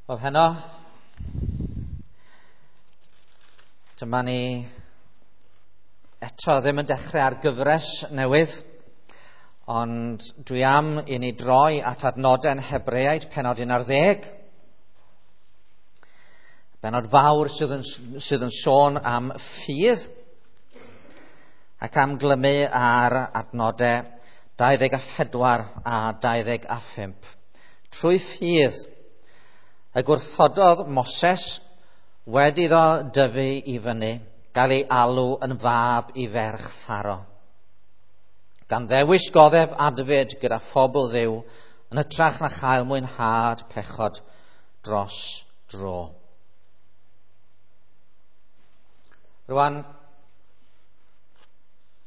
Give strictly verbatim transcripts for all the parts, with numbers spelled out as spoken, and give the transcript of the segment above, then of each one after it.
Wel, heno, dyma ni eto ddim yn dechrau ar gyfres newydd, ond dwi am i ni droi at adnodau'n Hebreaid, pennod un ar ddeg. Bennod fawr sydd yn, sydd yn sôn am ffydd ac am glymu ar adnodau dau ddeg a phedwar a dau ddeg a phump. Trwy ffydd y gwrthododd Moses wedi iddo dyfu i fyny, gael ei alw yn fab i ferch Pharo. Gan ddewis goddef adfyd gyda phobl Dduw yn hytrach na chael mwynhad pechod dros dro. Rwan,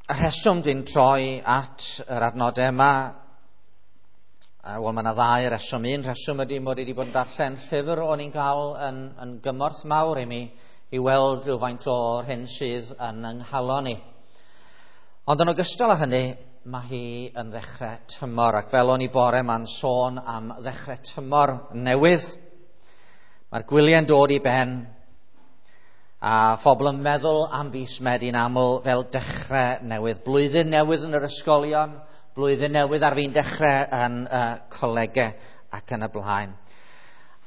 y rheswm dwi'n troi at yr adnodau yma, wel, mae yna ddau reswm. Un rheswm ydy mod i wedi bod yn darllen llyfr o'n i'n cael yn, yn gymorth mawr i mi i weld rhywfaint o'r hyn sydd yn yng nghalon i. Ond yn ogystal â hynny, mae hi yn ddechrau tymor, ac fel o'n i bore ma'n sôn am ddechrau tymor newydd. Mae'r gwyliau'n dod i ben, a phobl yn meddwl am fis Medi'n aml fel dechrau newydd. Blwyddyn newydd yn yr ysgolion, blwyddyn newydd ar fin dechrau yn uh, colegau ac yn y blaen.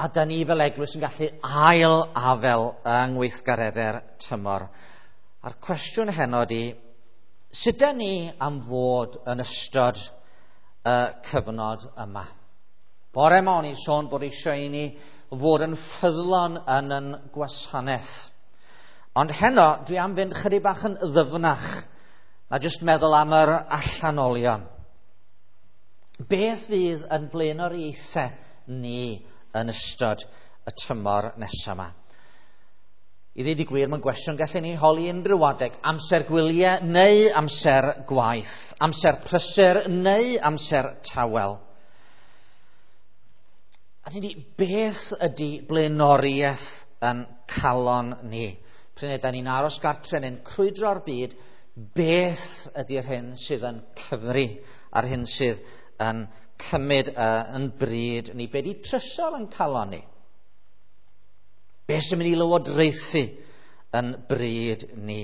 A da ni fel eglwys yn gallu ail afel yng ngweithgareddau'r tymor. A'r cwestiwn heno ydi, sut da ni am fod yn ystod y cyfnod yma? Bore yma o'n i'n sôn bod eisiau i ni fod yn ffyddlon yn yn gwasanaeth. Ond heno, dwi am fynd chydig bach yn ddyfnach na jyst meddwl am yr allanolion. Beth fydd yn blaenoriaethau ni yn ystod y tymor nesaf yma? I ddweud y gwir, mae'n gwestiwn gallen ni holi unrhyw adeg. Amser gwyliau neu amser gwaith? Amser prysur neu amser tawel? A ni, beth ydy blaenoriaeth yn calon ni? Pryd ydan ni'n aros gartre neu'n crwydro'r byd, beth ydy'r hyn sydd yn cyfri a'r hyn sydd yn cymryd uh, yn bryd ni? Be di trysor yn calon ni? Be sy'n mynd i lywodraethu yn bryd ni?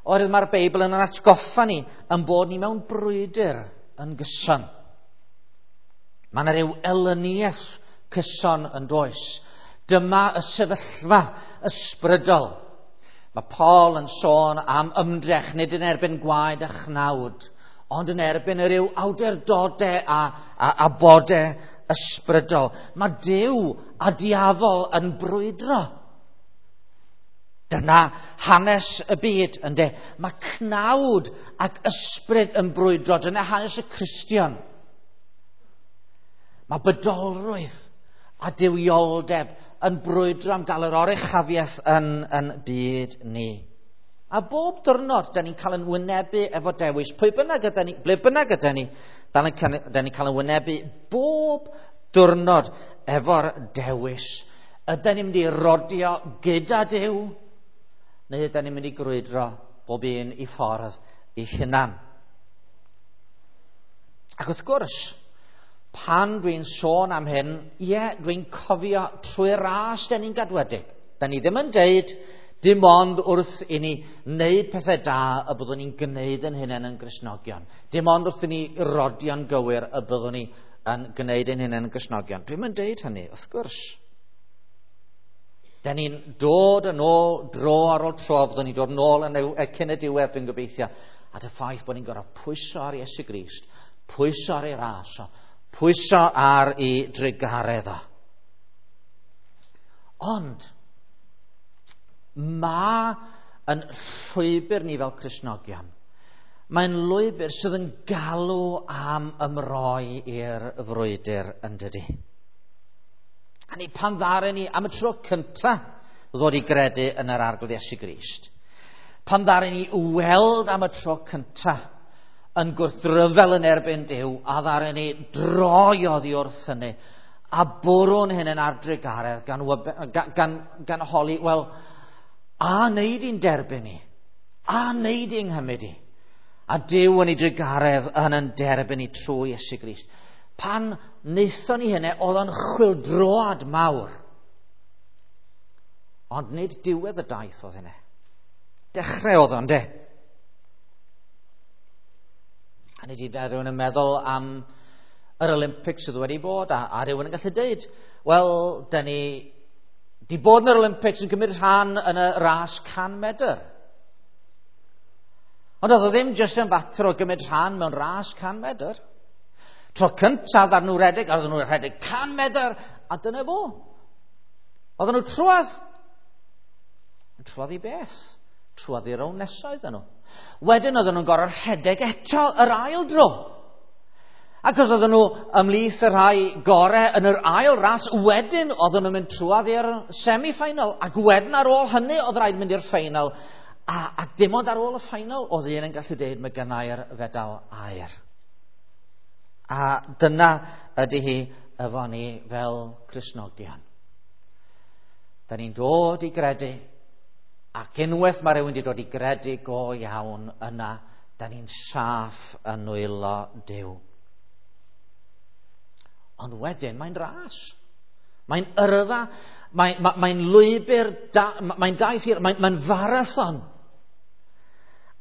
Oherwydd mae'r Beibl yn atgoffa ni yn bod ni mewn brwydr yn gyson. Mae yna ryw elyniaeth cyson yn does. Dyma y sefyllfa ysbrydol. Mae Paul yn sôn am ymdrech, nid yn erbyn gwaed a chnawd, ond yn erbyn yr yw awdurdodau a, a, a bodau ysbrydol. Mae Duw a diafol yn brwydro. Dyna hanes y byd, ynde. Mae cnawd ac ysbryd yn brwydro. Dyna hanes y Cristion. Mae bydolrwydd a duwioldeb yn brwydro am gael yr oruchafiaeth yn, yn byd ni. A bob diwrnod, da ni'n cael yn wynebu efo dewis. Pwy bynnag yda ni, ble bynnag yda ni, da ni'n cael yn wynebu bob diwrnod efo'r dewis. Yda ni'n mynd i rodio gyda Duw, neu yda ni'n mynd i grwydro bob un i ffordd i hunan? Ac wrth gwrs, pan dwi'n sôn am hyn, ie, dwi'n cofio trwy ras da ni'n gadwedig. Da ni ddim yn deud dim ond wrth i ni wneud pethau da y byddwn ni'n gwneud yn hunain yn Gristnogion. Dim ond wrth i ni rodio'n gywir y byddwn ni yn gwneud yn hunain yn Gristnogion. Dwi'm yn deud hynny, wrth gwrs. Da ni'n dod yn ôl dro ar ôl tro, fyddwn ni'n dod yn ôl yn y cyn y diwedd, dwi'n gobeithio, at y ffaith bod ni'n gorfod pwyso ar Iesu Grist, pwyso ar ei ras o, pwyso ar ei drugaredd o. Ond mae yn llwybr ni fel Cristnogion, mae'n lwybr sydd yn galw am ymroi i'r frwydr yn dydi. A ni pan ddaru ni am y tro cyntaf ddod i gredu yn yr Arglwydd Iesu Grist, pan ddaru ni weld am y tro cyntaf yn gwrthryfel yn erbyn Duw, a ddaru ni droi oddi wrth hynny, a bwrw'n hyn yn ar drugaredd gan, gan, gan, gan holi, wel, a wneud i'n derbyn ni, a wneud i'n nghymryd i, a Duw yn ei drugaredd yn yn derbyn ni trwy Iesu Grist. Pan wnaethon ni hynny, oedd o'n chwyldroad mawr. Ond nid diwedd y daith oedd hynny. Dechrau oedd o'n de. A nid i rhywun yn meddwl am yr Olympics sydd wedi bod, a, a rhywun yn gallu deud, wel, da ni di bod yn yr Olympics yn cymryd rhan yn y ras can medr. Ond oedd o ddim jyst yn fater o gymryd rhan mewn ras can medr. Tro cyntaf ar nhw redeg, a oedden nhw'n rhedeg can medr, a dyna fo. Oedden nhw trwadd. Trwadd i beth? Trwadd i'r rown nesaf iddyn nhw. Wedyn oedden nhw'n gorfod rhedeg eto yr ail dro. Ac os oedden nhw ymhlith y rhai gorau yn yr ail ras, wedyn oedden nhw'n mynd trwadd i'r semi-final. Ac wedyn ar ôl hynny oedd rhaid mynd i'r final. A, a dim ond ar ôl y final oedd un yn gallu deud mae gynnau'r fedal aur. A dyna ydy hi efo ni fel Cristnogion. Da ni'n dod i gredu, ac unwaith mae rhywun wedi dod i gredu go iawn yna, da ni'n saff yn nwylo Duw. Ond wedyn mae'n ras. Mae'n yrfa, mae'n mae, mae lwybr, da, mae'n daith hir, mae'n mae farathon.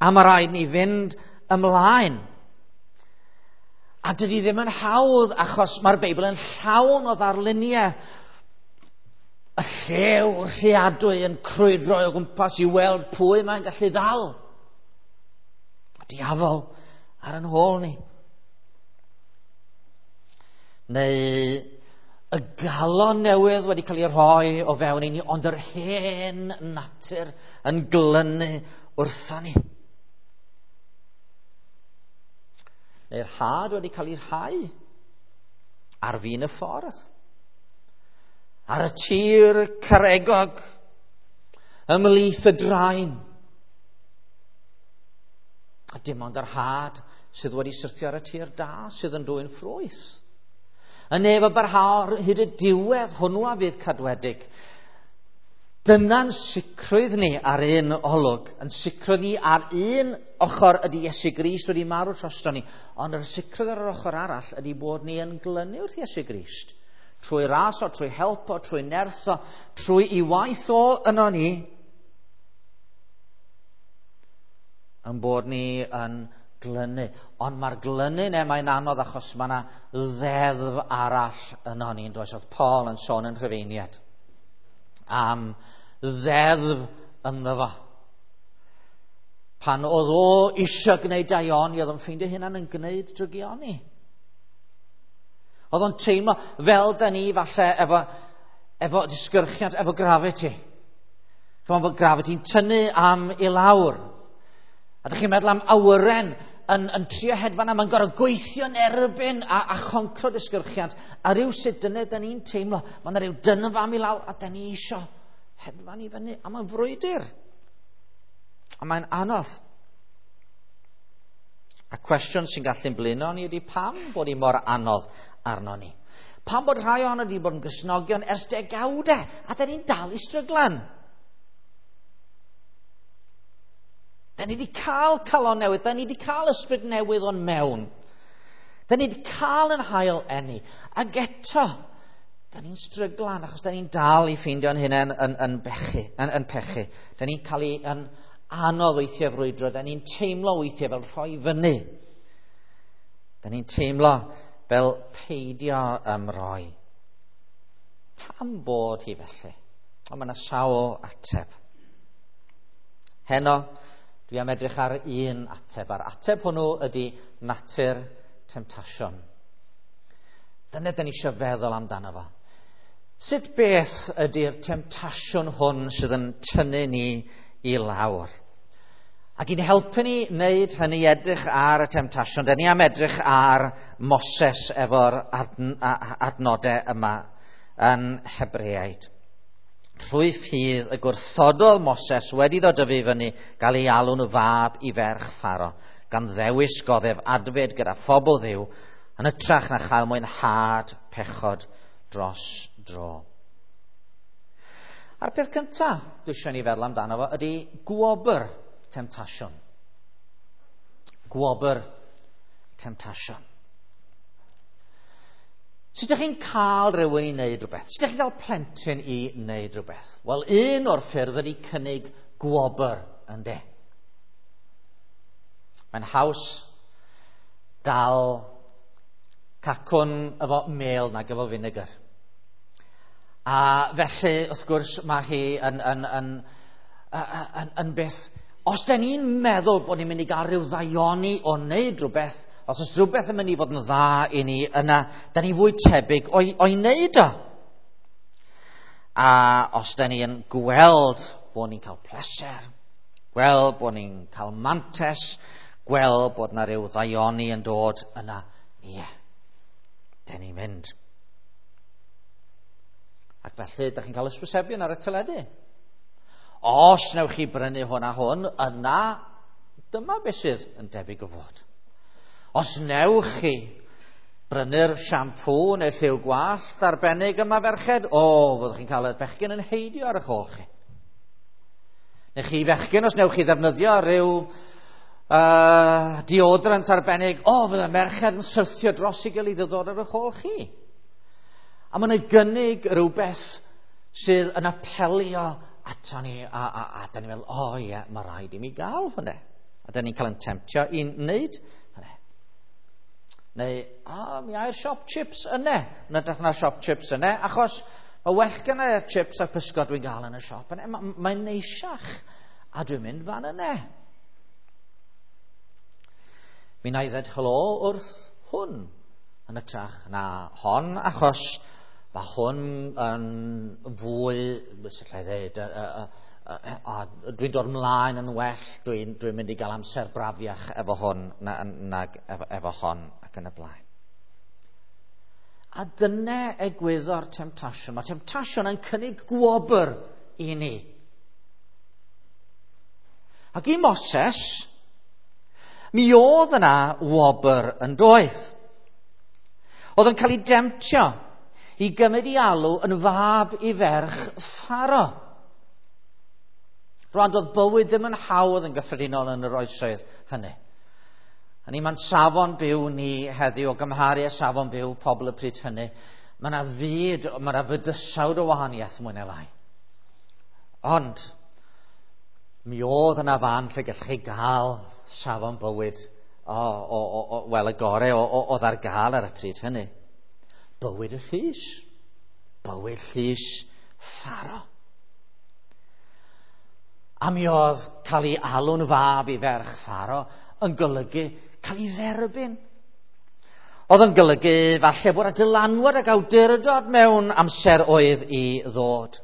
A mae rhaid ni fynd ymlaen. A dydy ddim yn hawdd achos mae'r Beibl yn llawn o ddarluniau. Y llew rheadwy yn crwydro o gwmpas i weld pwy mae'n gallu ddal. Y diafol ar yn hôl ni. Neu y galon newydd wedi cael ei rhoi o fewn i ni, ond yr hen natur yn glynu wrtho ni. Neu'r had wedi cael ei rhai ar fin y ffordd. Ar y tir caregog, ymhlith y draen. A dim ond yr had sydd wedi syrthio ar y tir da sydd yn dwyn ffrwyth. Y neb a barhaodd hyd y diwedd hwnnw a fydd cadwedig. Dyna'n sicrwydd ni ar un olwg. Yn sicrwydd ni ar un ochr ydy Iesu Grist wedi marw drosto ni. Ond yr sicrwydd ar yr ochr arall ydy bod ni yn glynu wrth Iesu Grist. Trwy ras o, trwy help o, trwy nerth o, trwy i waith o yno ni. Yn bod ni yn glynu. Ond mae'r glynu neu mae'n anodd achos mae yna ddeddf arall yno ni. Yn does? Oedd Paul yn sôn yn Rhufeiniad am ddeddf ynddo fo. Pan oedd o eisiau gwneud daioni, oedd o'n ffeindio hunan yn gwneud drygioni. Oedd o'n teimlo fel da ni falle efo, efo disgyrchiant, efo gravity. Chymod bod gravity'n tynnu am i lawr. A dych chi'n meddwl am awyren yn, yn trio hedfan a mae'n gorfod gweithio yn erbyn a, a choncro disgyrchiant. A rhyw sut dyna da ni'n teimlo. Mae yna rhyw dynfa am i lawr a da ni isio hedfan i fyny. A mae'n frwydr. A mae'n anodd. A cwestiwn sy'n gallu'n blino ni ydy pam bod hi mor anodd arno ni. Pam bod rhai ohono ni wedi bod yn Gristnogion ers degawdau a da ni'n dal i stryglan. Da ni wedi cael calon newydd, da ni wedi cael ysbryd newydd o'n mewn. Da ni wedi cael yn hael eni. Ac eto, da ni'n stryglan achos da ni'n dal i ffeindio'n hunain yn, yn, bechu, yn, yn pechu. Da ni'n cael ei yn anodd weithiau frwydro, da ni'n teimlo weithiau fel rhoi fyny. Da ni'n teimlo fel peidio ymroi. Pam bod hi felly? Ond mae yna sawl ateb. Heno, dwi am edrych ar un ateb, a'r ateb hwnnw ydy natur temtasiwn. Dyna dyn ni eisiau feddwl amdano fo. Sut beth ydy'r temtasiwn hwn sydd yn tynnu ni i lawr? Ac i'n helpu ni wneud hynny edrych ar y temtasiwn, dyn ni am edrych ar Moses efo'r adn adnodau yma yn Hebreaid. Trwy ffydd y gwrthododd Moses wedi ddod dyfu fyny gael ei alw'n fab i ferch Pharo, gan ddewis goddef adfyd gyda phobl Dduw yn hytrach na chael mwynhad pechod dros dro. A'r peth cyntaf dwi eisiau ni feddwl amdano fo ydy gwobr temtasiwn. Gwobr temtasiwn. Sut ydych chi'n cael rhywun i wneud rhywbeth? Sut ydych chi'n cael plentyn i wneud rhywbeth? Wel, un o'r ffyrdd ydy cynnig gwobr, ynde? Mae'n haws dal cacwn efo mel nag efo finegr. A felly, wrth gwrs, mae hi yn, yn, yn, yn, yn, yn beth... Os da ni'n meddwl bod ni'n mynd i gael rhyw ddaioni o wneud rhywbeth, os oes rhywbeth yn mynd i fod yn dda i ni, yna, da ni fwy tebyg o'i, o'i wneud o. A os da ni yn gweld bod ni'n cael pleser, gweld bod ni'n cael mantes, gweld bod na rhyw ddaioni yn dod, yna, ie, yeah, da ni'n mynd. Ac felly, da chi'n cael ysbysebion ar y teledu. Os newch chi brynu hwn a hwn, yna dyma beth sydd yn debyg o fod. Os newch chi brynu'r siampŵ neu lliw gwallt arbennig yma ferched, o, fyddwch chi'n cael y bechgyn yn heidio ar eich ôl chi. Neu chi fechgyn, os newch chi ddefnyddio rhyw uh, deodorant arbennig, o, fydd y merched yn syrthio dros ei gilydd i ddod ar eich ôl chi. A mae'n gynnig rhywbeth sydd yn apelio ato ni, a, a, a, a da ni'n meddwl, o oh, ie, mae rhaid i mi gael hwnna. A da ni'n cael yn temtio i wneud hwnna. Neu, o, oh, mi ai'r siop chips yna. Yn edrych na siop chips yna, achos mae well gen i'r chips a'r pysgod dwi'n gael yn y siop yna. Mae'n mae neisiach, a dwi'n mynd fan yna. Mi na i ddweud helo wrth hwn yn ytrach na hon, achos mae hwn yn fwy, sut allai ddweud, a, a, dwi'n dod ymlaen yn well, dwi'n dwi mynd i gael amser brafiach efo hwn na, nag efo, efo hon ac yn y blaen. A dyna egwyddor temtasiwn. Mae temtasiwn yn cynnig gwobr i ni. Ac i Moses, mi oedd yna wobr yn doedd. Oedd yn cael ei demtio i gymryd ei alw yn fab i ferch Pharo. Rwan, doedd bywyd ddim yn hawdd yn gyffredinol yn yr oesoedd hynny. A ni, mae'n safon byw ni heddiw o gymharu â safon byw pobl y pryd hynny. Mae yna fyd, mae yna fydysawd o wahaniaeth mwy neu lai. Ond, mi oedd yna fan lle gallech chi gael safon bywyd o, o, o, o, wel, y gorau oedd ar gael ar y pryd hynny. Bywyd y llys. Bywyd llys Pharo. A mi oedd cael ei alw'n fab i ferch Pharo yn golygu cael ei dderbyn. Oedd yn golygu falle bod y dylanwad ac awdurdod mewn amser oedd i ddod.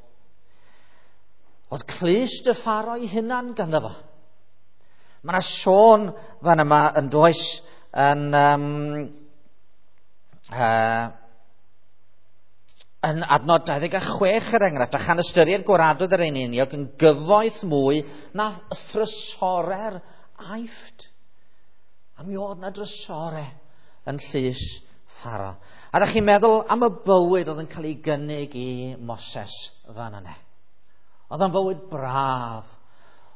Oedd clust y Pharo ei hunan ganddo fo. Mae yna sôn fan yma yn does yn... Um, uh, yn adnod dau ddeg a chwech er enghraifft, a chan ystyried gwaradwydd yr eneiniog yn gyfoeth mwy na thrysore'r Aifft. A mi oedd na drysore yn llys Pharo. A da chi'n meddwl am y bywyd oedd yn cael ei gynnig i Moses fan yna. Oedd o'n fywyd braf.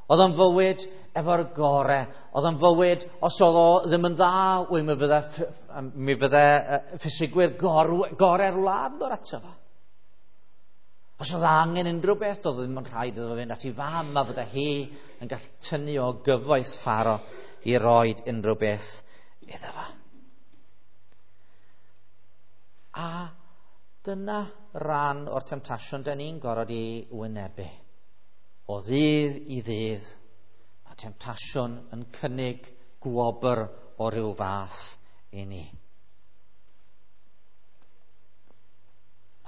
Oedd o'n fywyd efo'r gore. Oedd o'n fywyd, os oedd o ddim yn dda, wy, mi fydde, mi fydde ffisigwyr gore'r wlad yn dod ato fo. Os oedd angen unrhyw beth, doedd ddim yn rhaid iddo fynd at ei fam, a fydde hi yn gallu tynnu o gyfoeth Pharo i roed unrhyw beth iddo fo. A dyna ran o'r temtasiwn da ni'n gorfod i wynebu. O ddydd i ddydd, mae temtasiwn yn cynnig gwobr o ryw fath i ni.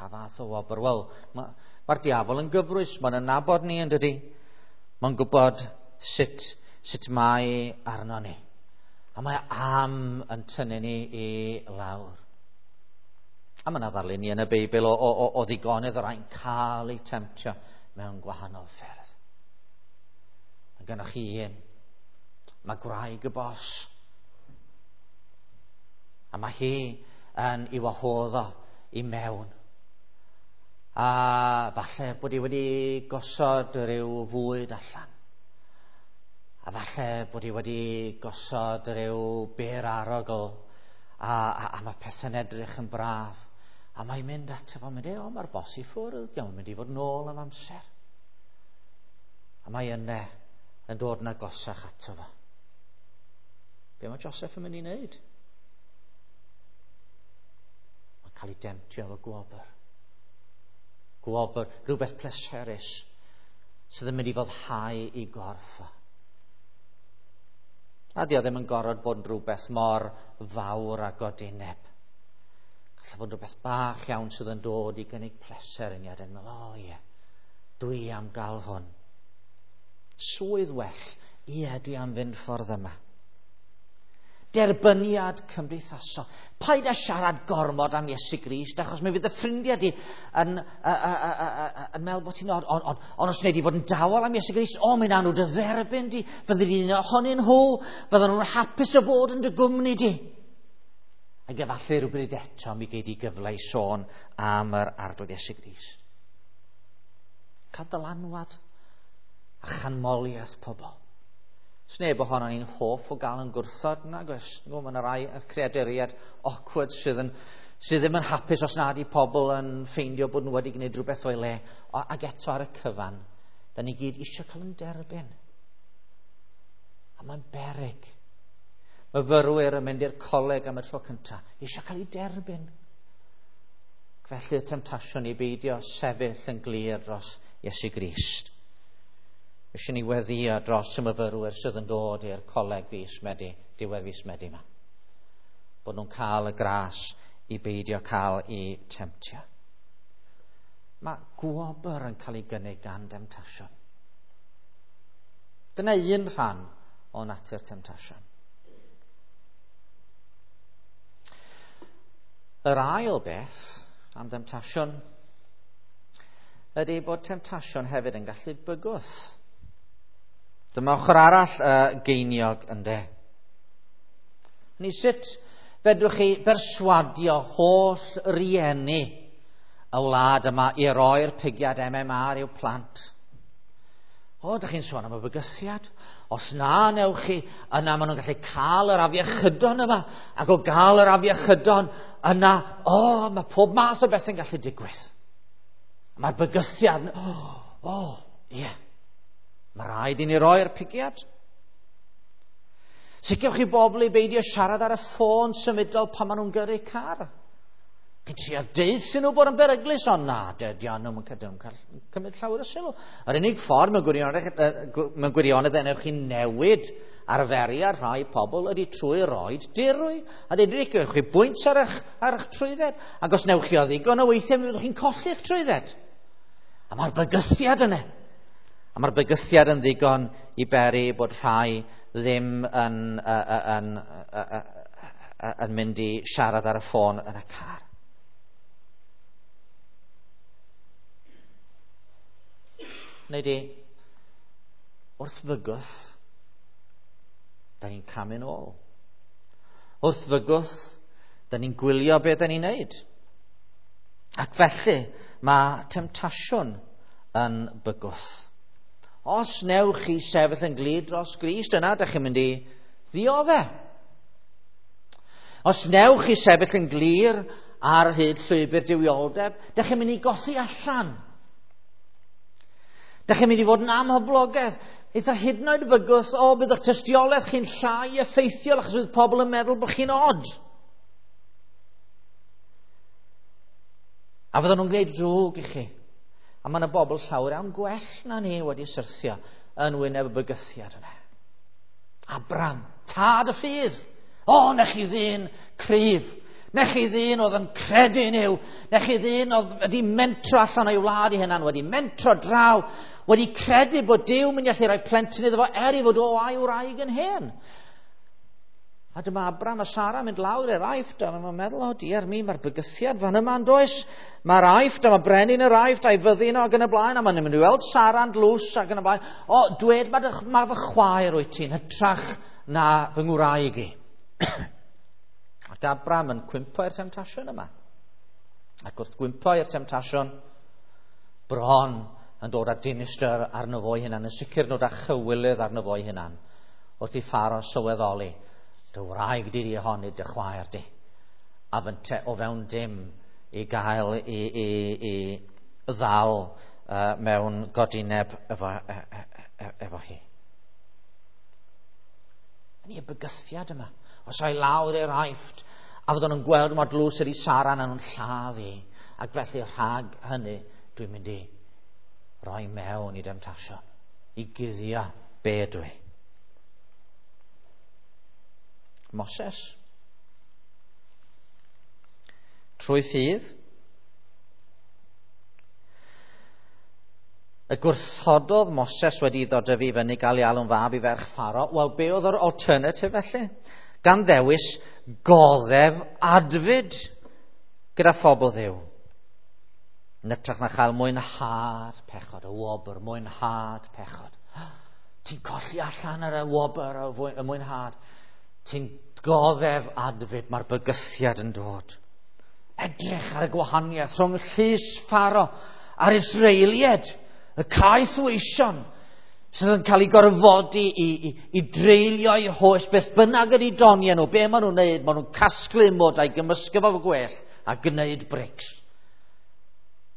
Pa fath o wobr? Wel, mae'r ma diafol yn gyfrwys, mae'n nabod ni yn dydi. Mae'n gwybod sut, sut mae arno ni. A mae am yn tynnu ni i lawr. A mae yna ddarlun ni yn y Beibl o, o, o, o ddigonedd o rai'n cael eu temtio mewn gwahanol ffyrdd. Mae gennych chi un. Mae gwraig y bos. A mae hi yn ei wahodd o i mewn. A falle bod hi wedi gosod rhyw fwyd allan. A falle bod hi wedi gosod rhyw bêr arogl. A, a, a mae pethau'n edrych yn braf. A mae'n mynd ato fo, mynd, o, mae'r bos i ffwrdd, dio'm yn mynd i fod nôl am amser. A mae yna yn dod yn agosach ato fo. Be mae Joseph yn mynd i wneud? Mae'n cael ei demtio efo gwobr. Gwobr, rhywbeth pleserus sydd yn mynd i foddhau i gorff o. A dio ddim yn gorfod bod yn rhywbeth mor fawr a godineb. Gallai fod yn rhywbeth bach iawn sydd yn dod i gynnig pleser i ni a dyn meddwl, o ie, dwi am gael hwn. Swydd well, ie, dwi am fynd ffordd yma. Derbyniad cymdeithasol. Paid â siarad gormod am Iesu Grist, achos mi fydd y ffrindiau di yn, uh, uh, uh, uh, yn meddwl bod ti'n od, ond on, on os wnei di fod yn dawel am Iesu Grist, o, mi wnawn nhw dy dderbyn di, fyddi di'n ohonyn nhw, fydden nhw'n hapus o fod yn dy gwmni di. Ac efallai rhywbryd eto mi gei di gyfle i sôn am yr Arglwydd Iesu Grist. Cael dylanwad a chanmoliaeth pobl. Sneb ohono ni'n hoff o gael yn gwrthod, nag oes. Mae yna rai creaduriaid awkward sydd, yn, sydd ddim yn hapus os nad i pobl yn ffeindio bod nhw wedi gwneud rhywbeth o'i le. O, ac eto ar y cyfan, da ni gyd eisiau cael yn derbyn. A mae'n beryg. Myfyrwyr yn mynd i'r coleg am y tro cyntaf, eisiau cael ei derbyn. Felly y temtasiwn i beidio sefyll yn glir dros Iesu Grist. Eisiau ni weddio dros y myfyrwyr sydd yn dod i'r coleg fis Medi, diwedd fis Medi yma. Bod nhw'n cael y gras i beidio cael eu temtio. Mae gwobr yn cael ei gynnig gan demtasiwn. Dyna un rhan o natur temtasiwn. Yr ail beth am demtasiwn ydy bod temtasiwn hefyd yn gallu bygwth. Dyma ochr arall y geiniog ynde. Ni sut fedrwch chi berswadio holl rieni y wlad yma i roi'r pigiad M M R i'w plant? O, dych chi'n sôn am y bygythiad? Os na newch chi, yna maen nhw'n gallu cael yr afiechydon yma, ac o gael yr afiechydon, yna, o, mae pob math o beth yn gallu digwydd. Mae'r bygythiad, o, o, ie. Yeah. Mae rhaid i ni roi'r pigiad. Sicrhewch chi bobl i beidio siarad ar y ffôn symudol pan maen nhw'n gyrru car. Chi'n trio deuthyn nhw bod yn beryglus, ond na, dydy nhw'n cael cymryd llawer o sylw. Yr unig ffordd mewn gwirionedd, mewn gwirionedd enwch chi newid arferiad rhai pobl ydy trwy roed dirwy. A dweud, gewch chi bwynt ar eich, ar eich trwydded. Ac os newch chi o ddigon o weithiau, mi fyddwch chi'n colli'ch trwydded. A mae'r bygythiad yna. A mae'r bygythiad yn ddigon i beri bod rhai ddim yn, yn, yn, yn mynd i siarad ar y ffôn yn y car. Neu di, wrth fygwth, da ni'n camu'n ôl. Wrth fygwth, da ni'n gwylio beth da ni'n neud. Ac felly, mae temtasiwn yn bygwth. Os newch chi sefyll yn glir dros Grist, yna dych chi'n mynd i ddioddef. Os newch chi sefyll yn glir ar hyd llwybr duwioldeb, dych chi'n mynd i golli allan. Dych chi'n mynd i fod yn amhoblogaidd. Eitha hyd yn oed fygwth, o, bydd eich tystiolaeth chi'n llai effeithiol achos bydd pobl yn meddwl bod chi'n od. A fydden nhw'n gwneud drwg i chi. A mae yna bobl llawer iawn gwell na ni wedi syrthio yn wyneb y bygythiad yna. Abram, tad y ffydd. O, nech chi ddyn cryf. Nech chi ddyn oedd yn credu yn Nuw. Nech chi ddyn oedd wedi mentro allan o'i wlad i hunan, wedi mentro draw, wedi credu bod Duw mynd i allu rhoi plentyn iddo fo er i fod o a'i wraig yn hen. A dyma Abram a Sara mynd lawr i'r Aifft, a mae'n meddwl, o diar mi, mae'r bygythiad fan yma yn does. Mae'r Aifft, a mae brenin yr Aifft a'i fyddin o ac yn y blaen, a mae'n mynd i weld Sara'n dlws ac yn y blaen. O, dwed, mae, ma fy chwaer wyt ti'n hytrach na fy ngwraig i. Ac Abram yn cwympo i'r temtasiwn yma. Ac wrth gwympo i'r temtasiwn, bron yn dod â dinistr arno fo'i hunan, yn sicr yn dod â chywilydd arno fo'i hunan, wrth i Pharaoh sylweddoli, dy wraig di di hon, nid dy chwaer di. A fynte o fewn dim i gael i, i, i ddal uh, mewn godineb efo, e, e, e, efo hi. Yn y bygythiad yma. Os o'i lawr i'r Aifft, a fyddwn nhw'n gweld mor dlws ydi Sara na nhw'n lladd hi. Ac felly rhag hynny, dwi'n mynd i roi mewn i demtasiwn, i guddio be dwi. Moses. Trwy ffydd, y gwrthododd Moses wedi iddo dyfu fyny gael ei alw'n fab i ferch Pharo. Wel, be oedd yr alternative felly? Gan ddewis goddef adfyd gyda phobl Dduw. Yn hytrach na chael mwynhad pechod, y wobr, mwynhad pechod. Ti'n colli allan ar y wobr, y mwynhad. Ti'n goddef adfyd, mae'r bygythiad yn dod. Edrych ar y gwahaniaeth rhwng llys Pharo a'r Israeliaid, y caethweision sydd yn cael ei gorfodi i, i, i dreulio eu hoes, beth bynnag ydy doniau nhw, be maen nhw'n neud, maen nhw'n casglu mwd a'i gymysgu fo gwell a gwneud brics.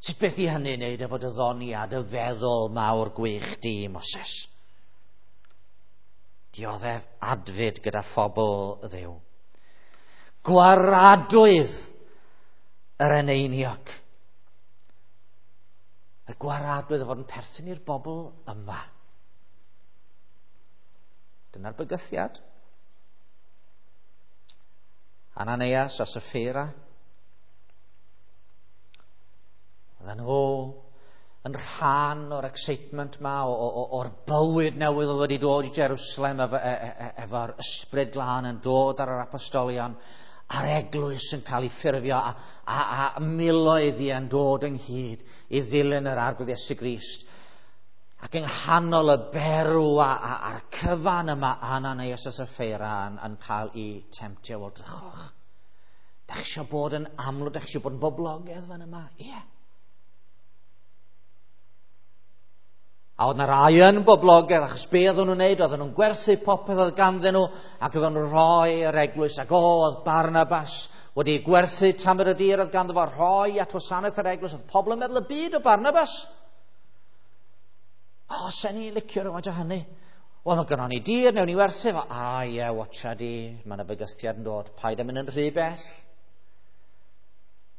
Sut beth i hynny wneud efo dy ddoniad, y feddwl mawr gwych di, Moses? Dioddef adfyd gyda phobl Dduw. Gwaradwydd yr eneiniog. Y gwaradwydd o fod yn perthyn i'r bobl yma. Dyna'r bygythiad. Ananias a Sapphira. Oedden nhw yn rhan o'r excitement ma, o'r bywyd newydd oedd wedi dod i Jerusalem efo, e, e, efo'r ysbryd glân yn dod ar yr apostolion, a'r eglwys yn cael ei ffurfio, a, a, a miloedd i yn dod ynghyd i ddilyn yr Arglwydd Iesu Grist. Ac yng nghanol y berw a, a, a'r cyfan yma, Ananias a Sapphira yn, yn cael ei temtio. Wel, drychwch. Dach chi eisiau bod yn amlwg, dach chi eisiau bod yn boblogaidd fan yma? Ie. Yeah. A oedd na rai yn boblogaidd, achos be oedden nhw'n neud, oedden nhw'n gwerthu popeth oedd ganddyn nhw, ac oedden nhw'n rhoi yr eglwys, ac o, oedd Barnabas wedi gwerthu tamed y dir oedd ganddo fo, rhoi at wasanaeth yr eglwys, oedd pobl yn meddwl y byd o Barnabas. O, sen ni'n licio rhywfaint o hynny. Wel, mae gynnon ni dir, newn ni werthu fo. A ie, yeah, watcha di, mae yna bygythiad yn dod, paid â mynd yn rhy bell.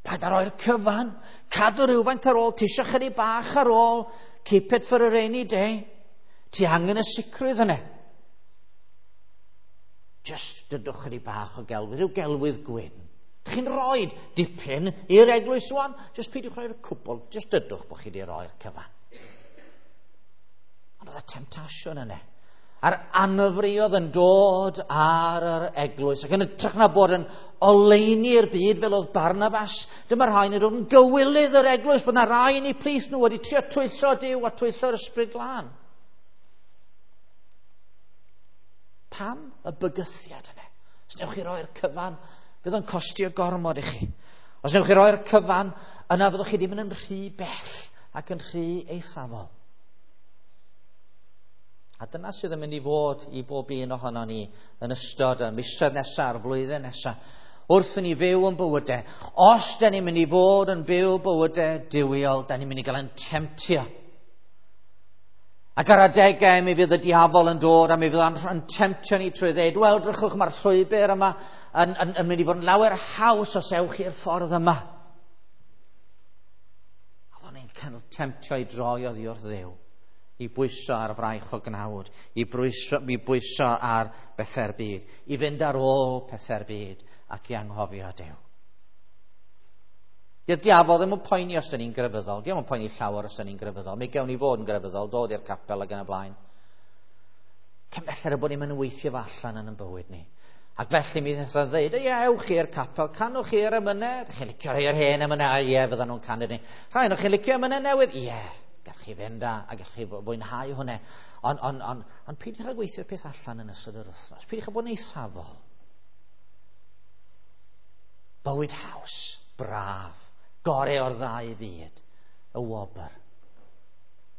Paid â roi'r cyfan, cadw rhywfaint ar ôl, ti eisiau chydig bach ar ôl, keep it for a rainy day. Ti angen y sicrwydd yna. Just dydwch chydig bach o gelwydd, rhyw gelwydd gwyn. Dych chi'n rhoi dipyn i'r eglwys rwan, just peidiwch roi'r cwbl, just dydwch bod chi wedi roi'r cyfan. Ond oedd y temtasiwn yna. A'r anfri oedd yn dod ar yr eglwys, ac yn hytrach na bod yn oleuni'r byd fel oedd Barnabas, dyma rhai yn dod yn gywilydd yr eglwys, bod na rai yn eu plith nhw wedi trio twyllo Duw a twyllo'r ysbryd glân. Pam y bygythiad yna? Os newch chi roi'r cyfan, fydd o'n costio gormod i chi. Os newch chi roi'r cyfan, yna fyddwch chi ddim yn rhy bell ac yn rhy eithafol. A dyna sydd yn mynd i fod i bob un ohono ni yn ystod y misoedd nesaf, a'r flwyddyn nesaf, wrth i ni fyw yn bywydau. Os da ni'n mynd i fod yn byw bywydau duwiol, da ni'n mynd i gael yn temtio. Ac ar adegau mi fydd y diafol yn dod a mi fydd yn temtio ni trwy ddeud, wel, drychwch, mae'r llwybr yma yn, yn, yn mynd i fod yn lawer haws os ewch i'r ffordd yma. A fo'n ni'n cael temtio i droi oddi wrth Dduw, i bwyso ar fraich o gnawd, i bwyso, i bwyso ar bethau'r byd, i fynd ar ôl pethau'r byd ac i anghofio Duw. Di'r diafol ddim yn poeni os da ni'n grefyddol, diolch yn poeni llawer os da ni'n grefyddol. Mi gewn ni fod yn grefyddol, dod i'r capel ac yn y blaen. Cyn belled y bod ni'n mynd weithio fo allan yn ein bywyd ni. Ac felly mi ddethon ddeud, ie, ewch i'r capel, canwch i'r emynau, dych chi'n licio rhai o'r hen emynau, ie, fyddan nhw'n canu ni. Rhai o'ch chi'n licio emynau newydd, ie, gallwch chi fynd a, a gallwch chi fwynhau hwnna. Ond on, on, on peidiwch â gweithio'r peth allan yn ystod yr wythnos. Peidiwch â bod yn eithafol. Bywyd haws, braf, gore o'r ddau fyd, y wobr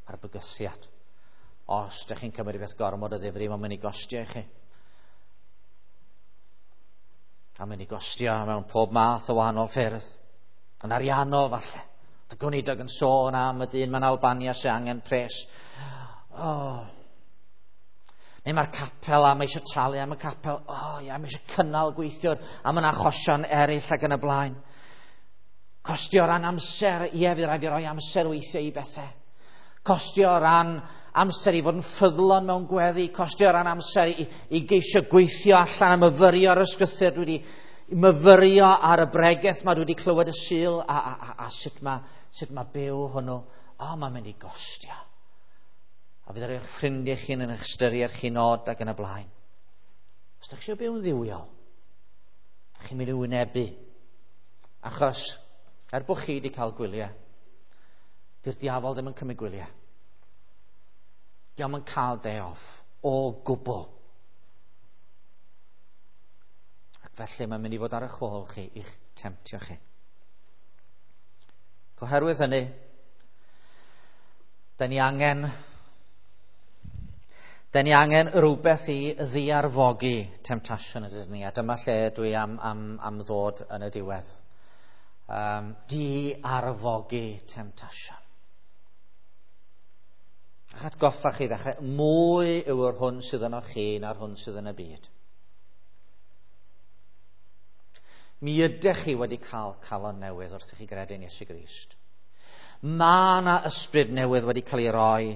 a'r bygythiad. Os ydych chi'n cymryd beth gormod o ddifri, mae'n mynd i gostio i chi. A mynd i gostio mewn pob math o wahanol ffyrdd. Yn ariannol falle. Y gweinidog yn sôn am y dyn mewn Albania sy'n angen pres. Oh. Neu mae'r capel a mae eisiau talu am y capel. Oh, ia, mae eisiau cynnal gweithiwr a mae'n achosion eraill ac yn y blaen. Costio o ran amser, ie, fydd rhaid fi roi amser weithiau i bethau. Costio o ran amser i fod yn ffyddlon mewn gweddi. Costio o ran amser i, i geisio gweithio allan a myfyrio ar y ysgrythur. Dwi wedi myfyrio ar y bregeth ma dwi wedi clywed y Sul a, a, a, a sut mae sut ma byw hwnnw. O, oh, mae'n mynd i gostio. A fydd eich ffrindiau chi'n yn eich ystyried chi'n od ac yn y blaen. Os ydych chi eisiau byw'n dduwiol, chi'n mynd i wynebu. Achos, er bod chi wedi cael gwyliau, dy'r diafol ddim yn cymryd gwyliau. Dio'm yn cael day off o gwbl. Ac felly mae'n mynd i fod ar eich ôl chi i'ch temtio chi. Oherwydd hynny, da ni angen da ni angen rhywbeth i ddiarfogi temtasiwn ydyn ni, a dyma lle dwi am, am, am ddod yn y diwedd. Um, diarfogi temtasiwn. A'ch atgoffa chi ddechrau, mwy yw'r hwn sydd yno chi na'r hwn sydd yn y byd. Mi ydych chi wedi cael calon newydd wrth i chi gredu yn Iesu Grist. Mae yna ysbryd newydd wedi cael ei roi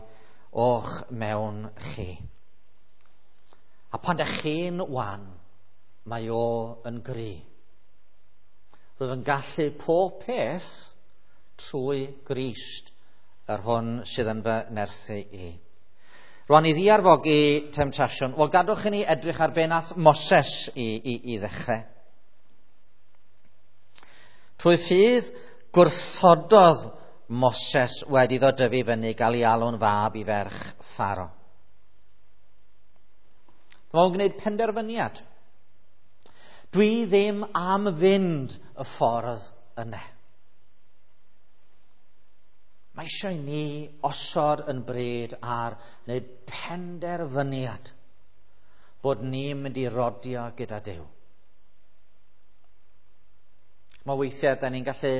o'ch mewn chi. A pan dych chi'n wan, mae o yn gry. Rwyf yn gallu pob peth trwy Grist, yr hwn sydd yn fy nerthu i. Rwan i ddiarfogi temtasiwn, wel gadwch i ni edrych ar be nath Moses i, i, i ddechrau. Trwy ffydd gwrthododd Moses wedi iddo dyfu fyny gael ei alw'n fab i ferch Pharo. Dyma o'n gwneud penderfyniad. Dwi ddim am fynd y ffordd yna. Mae eisiau i ni osod yn bryd ar wneud penderfyniad bod ni'n mynd i rodio gyda Duw. Mae weithiau da ni'n gallu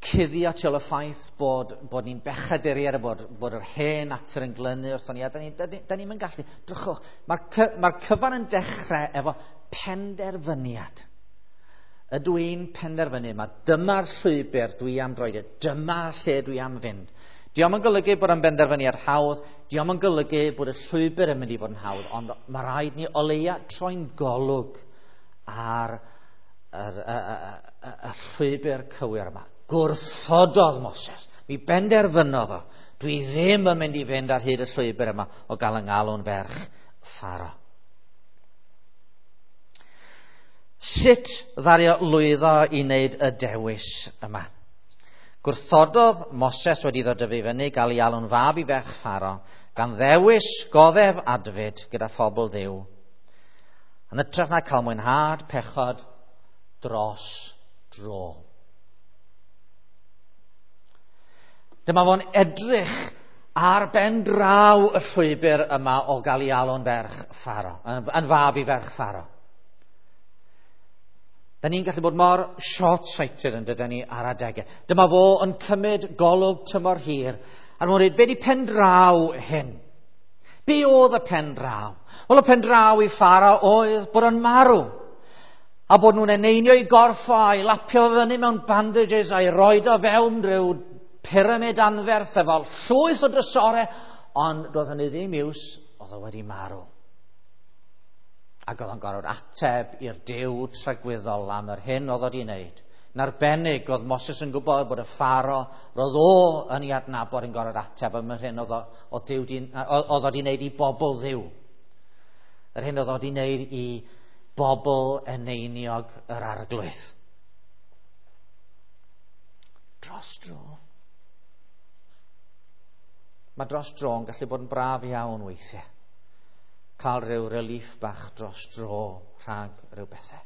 cuddio tu ôl y ffaith bod, bod ni'n bechaduriaid a bod, bod yr hen natur yn glynu wrthon ni, a da ni'n da ni, da ni'n gallu. Drychwch, mae'r cy, mae'r cyfan yn dechrau efo penderfyniad. Ydw i'n penderfynu, mae dyma'r llwybr dwi am droed, dyma lle dwi am fynd. Dio'm yn golygu bod yn benderfyniad hawdd, dio'm yn golygu bod y llwybr yn mynd i fod yn hawdd, ond mae rhaid ni o leia troi'n golwg ar yr, y, y, y, y llwybr cywir yma. Gwrthododd Moses, mi benderfynodd o, dwi ddim yn mynd i fynd ar hyd y llwybr yma o gael yng ngalw'n ferch Pharo. Sut ddaru o lwyddo i wneud y dewis yma? Gwrthododd Moses wedi iddo dyfu fyny gael ei alw'n fab i ferch Pharo, gan ddewis goddef adfyd gyda phobl Dduw, yn hytrach na cael mwynhad pechod dros dro. Dyma fo'n edrych ar ben draw y llwybr yma o gael ei alw'n ferch Pharo, yn, yn fab i ferch Pharo. Da ni'n gallu bod mor short-sighted yn dydyn ni ar adegau. Dyma fo yn cymryd golwg tymor hir, a nhw'n dweud, be di pen draw hyn? Be oedd y pen draw? Wel, y pen draw i Pharo oedd bod o'n marw. A bod nhw'n eneinio i gorff o a'i lapio fyny mewn bandages a'i roed o fewn rhyw pyramid anferth efo llwyth o drysorau, ond doedd hynny ddim iws, oedd o wedi marw. Ac oedd o'n gorfod ateb i'r Duw tragwyddol am yr hyn oedd o wedi wneud. Yn arbennig, oedd Moses yn gwybod bod y Pharo, roedd o yn ei adnabod yn gorfod ateb am yr hyn oedd o, oedd Duw di, oedd o wedi wneud i bobl Dduw. Yr hyn oedd o wedi wneud i bobl eneiniog yr Arglwydd. Dros dro. Mae dros dro yn gallu bod yn braf iawn weithiau. Cael rhyw relief bach dros dro rhag rhyw bethau.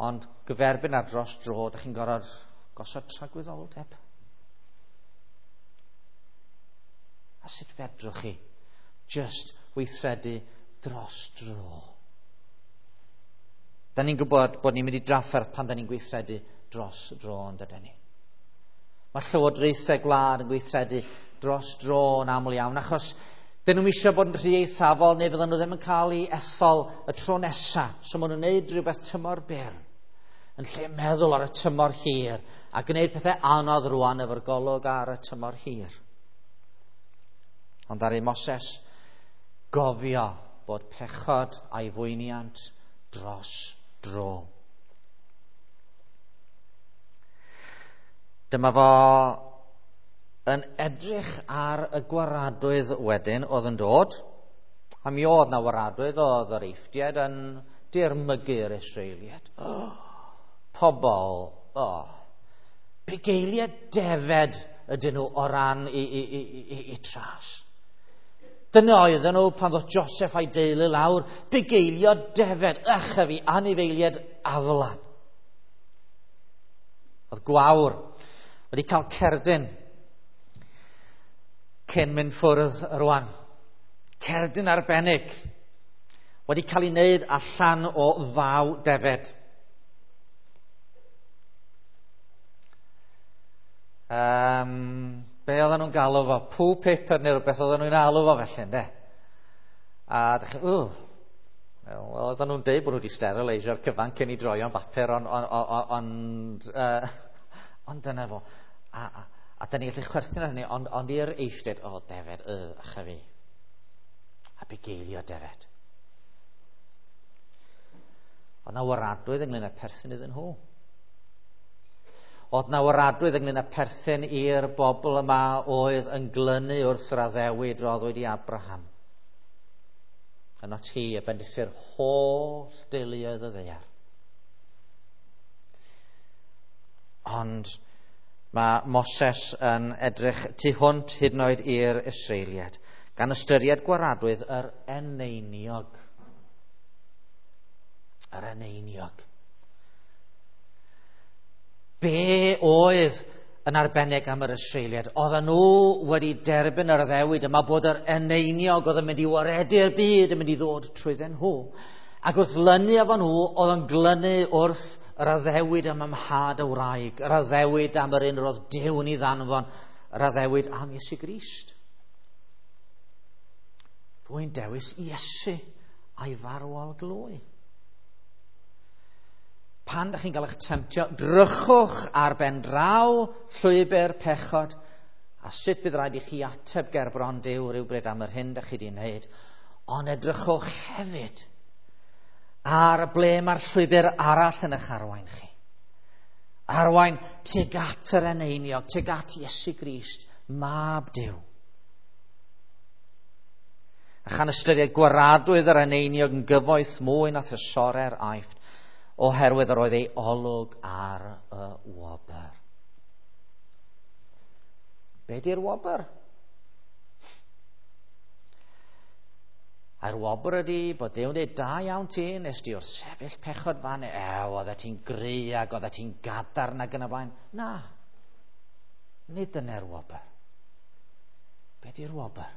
Ond gyferbyn ar dros dro, dych chi'n gorfod gosod tragwyddoldeb. A sut fedrwch chi just weithredu dros dro? Da ni'n gwybod bod ni'n mynd i drafferth pan da ni'n gweithredu dros dro, yn dydyn ni. Mae llywodraethau gwlad yn gweithredu dros dro yn aml iawn, achos dyn nhw'n eisiau bod yn rhy eithafol neu fydden nhw ddim yn cael ei ethol y tro nesaf. So maen nhw'n gwneud rhywbeth tymor byr yn lle meddwl ar y tymor hir a gwneud pethau anodd rwan efo'r golwg ar y tymor hir. Ond ar ei Moses gofio bod pechod a'i fwyniant dros dro. Dyma fo yn edrych ar y gwaradwydd wedyn oedd yn dod, a mi oedd na waradwydd, oedd yr Eifftiaid yn dirmygu'r Israeliaid. Oh, pobl, oh, bugeiliaid defed ydyn nhw o ran i, i, i, i, i tras. Dyna oedden nhw pan ddoth Joseph a'i deulu lawr, bugeilio defed, ych a fi, anifeiliaid aflan. Oedd gwawr wedi cael cerdyn cyn mynd ffwrdd rwan. Cerdyn arbennig wedi cael ei wneud allan o faw defed. Um, be oedden nhw'n galw fo? Poo paper neu rhywbeth oedden nhw'n alw fo felly, ynde? A dych chi, ww, wel, oedden nhw'n deud bod nhw wedi sterileisio'r cyfan cyn i droio'n bapur, ond on, on, on, uh, ond dyna fo. A, a, a da ni'n gallu chwerthin ar hynny, ond, ond i'r Eifftiaid, o, defed, y, ach a fi. A bugeilio defed. Oedd na waradwydd ynglyn â perthyn iddyn nhw. Oedd na waradwydd ynglyn â perthyn i'r bobl yma oedd yn glynu wrth yr addewid roddwyd i Abraham. Yno ti y bendithi'r holl deuluoedd y ddaear. Ond mae Moses yn edrych tu hwnt hyd yn oed i'r Israeliaid, gan ystyried gwaradwydd yr eneiniog. Yr eneiniog. Be oedd yn arbennig am yr Israeliaid? Oedden nhw wedi derbyn yr addewid yma bod yr eneiniog oedd yn mynd i waredu'r byd yn mynd i ddod trwyddyn nhw. Ac wrth lynu efo nhw, oedd yn glynu wrth yr addewid am ymhad y wraig, yr addewid am yr un roedd Duw yn ei ddanfon, yr addewid am Iesu Grist. Rwy'n dewis Iesu a'i farwol glwy. Pan ydych chi'n cael eich temtio, drychwch ar ben draw llwybr pechod, a sut bydd rhaid i chi ateb ger bron Duw rhywbryd am yr hyn ydych chi wedi wneud. Ond edrychwch hefyd ar ble mae'r llwybr arall yn eich arwain chi. Arwain tuag at yr eneiniog, tuag at Iesu Grist, Mab Duw. A chan ystyried gwaradwydd yr eneiniog yn gyfoeth mwy na thrysorau'r Aifft, oherwydd yr oedd ei olwg ar y wobr. Be di'r wobr? A'r wobr ydi bod Duw'n dweud, da iawn ti, nes di wrth sefyll pechod fan, ew, oeddet ti'n gry ac oeddet ti'n gadarn ac yn y blaen. Na, nid dyna'r wobr. Be di'r wobr?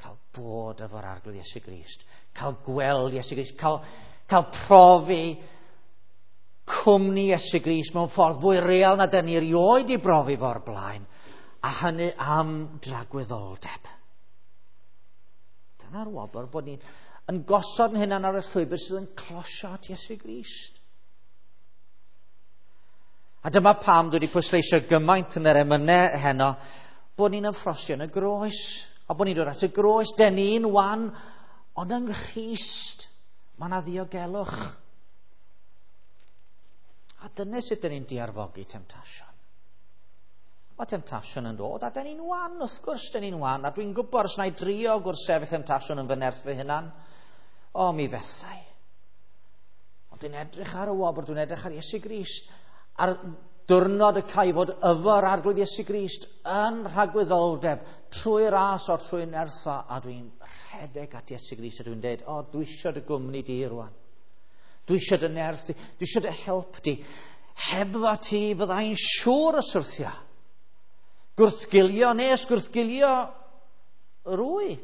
Cael bod efo'r Arglwydd Iesu Grist, cael gweld Iesu Grist, cael, cael profi cwmni Iesu Grist mewn ffordd fwy real na dyn ni erioed i brofi fo'r blaen, a hynny am dragwyddoldeb. Dyna'r wobr, bod ni'n yn gosod yn hunan ar y llwybr sydd yn closio at Iesu Grist. A dyma pam dwi wedi pwysleisio gymaint yn yr emynau heno, bod ni'n ymffrostio yn y groes, a bod ni'n dod at y groes, den ni'n wan, ond yng Nghrist mae yna ddiogelwch. A dyna sut dyn ni'n diarfogi temtasiwn. Mae temtasiwn yn dod, a dyn ni'n wan, wrth gwrs dyn ni'n wan, a dwi'n gwybod os na i drio gwrthsefyll temtasiwn yn fy nerth fy hunan, o, mi fethau. Ond dwi'n edrych ar y wobr, dwi'n edrych ar Iesu Grist, ar diwrnod y cae fod efo'r Arglwydd Iesu Grist yn rhagwyddoldeb, trwy ras o trwy nertho, a dwi'n rhedeg at Iesu Grist, a dwi'n dweud, o, dwi eisiau dy gwmni di rwan. Dwi eisiau dy nerth di, dwi eisiau dy help di. Hebddo ti fyddai'n siŵr o syrthio. Gwrthgilio nes, gwrthgilio rwy.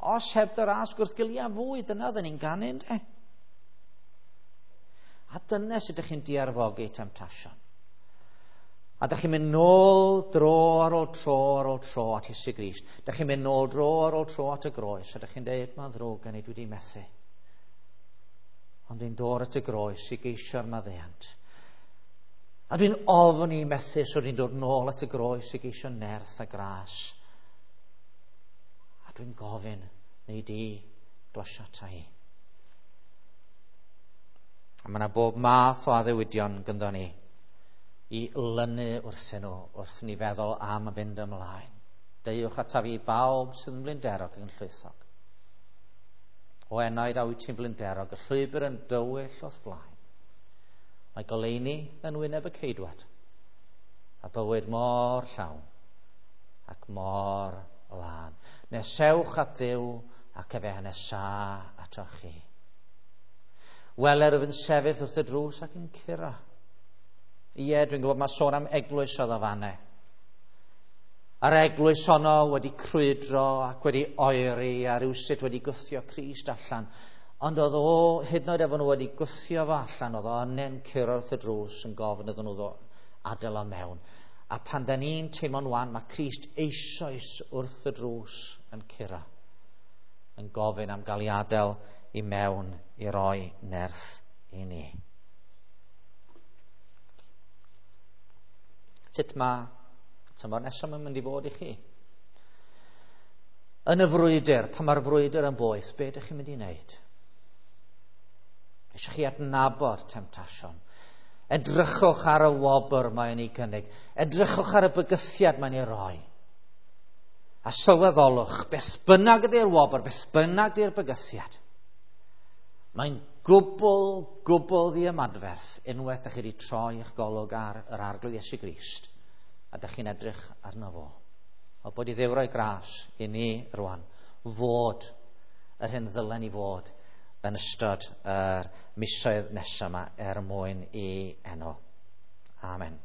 Os heb dy ras, gwrthgilio fwy. Dyna oedden ni'n ganu, ynde? dyna sut ydych chi'n diarfogi temtasiwn. A dych chi'n mynd nôl dro ar ôl tro ar ôl tro at Iesu Grist. Dych chi'n mynd nôl dro ar ôl tro at y groes. A dych chi'n dweud, mae'n ddrwg gen i, dwi wedi methu. Ond dwi'n dod at y groes i geisio'r maddeuant. A dwi'n ofn i methu, so dwi'n dod nôl at y groes i geisio nerth a gras. A dwi'n gofyn, neu di glosio ata i. A mae yna bob math o addewidion gyda ni i lynu wrthyn nhw, wrth ni feddwl am fynd ymlaen. Deuwch ataf i bawb sydd yn blinderog ac yn llwythog. O enaid a wyt ti'n blinderog, y llwybr yn dywyll o'th flaen. Mae goleuni yn wyneb y ceidwad, a bywyd mor llawn ac mor lân. Nesewch at Dduw ac efe nesa atoch chi. Weler ef yn sefyll wrth y drws ac yn curo. Ie, dwi'n gwybod mae sôn am eglwys oedd o fanne. A'r eglwys honno wedi crwydro ac wedi oeri a rywsut wedi gwthio Crist allan. Ond oedd o, hyd yn oed efo nhw wedi gwthio fo allan, oedd o yna'n curo wrth y drws yn gofyn iddyn nhw ddod adael o mewn. A pan da ni'n teimlo'n wan, mae Crist eisoes wrth y drws yn curo, yn gofyn am gael ei adael i mewn i roi nerth i ni. Sut mae tymor nesaf yn mynd i fod i chi? Yn y frwydr, pan mae'r frwydr yn boeth, be ydych chi'n mynd i wneud? Eisiau chi adnabod temtasiwn. Edrychwch ar y wobr mae'n ei gynnig. Edrychwch ar y bygythiad mae'n ei roi. A sylweddolwch, beth bynnag ydy'r wobr, beth bynnag ydy'r bygythiad, mae'n gwbl, gwbl ddiymadferth unwaith ydych chi wedi troi eich golwg ar yr Arglwydd Iesu Grist a ydych chi'n edrych arno fo. O bod i Dduw roi gras i ni rwan fod yr hyn ddylen ni fod yn ystod yr misoedd nesaf yma er mwyn i enw. Amen.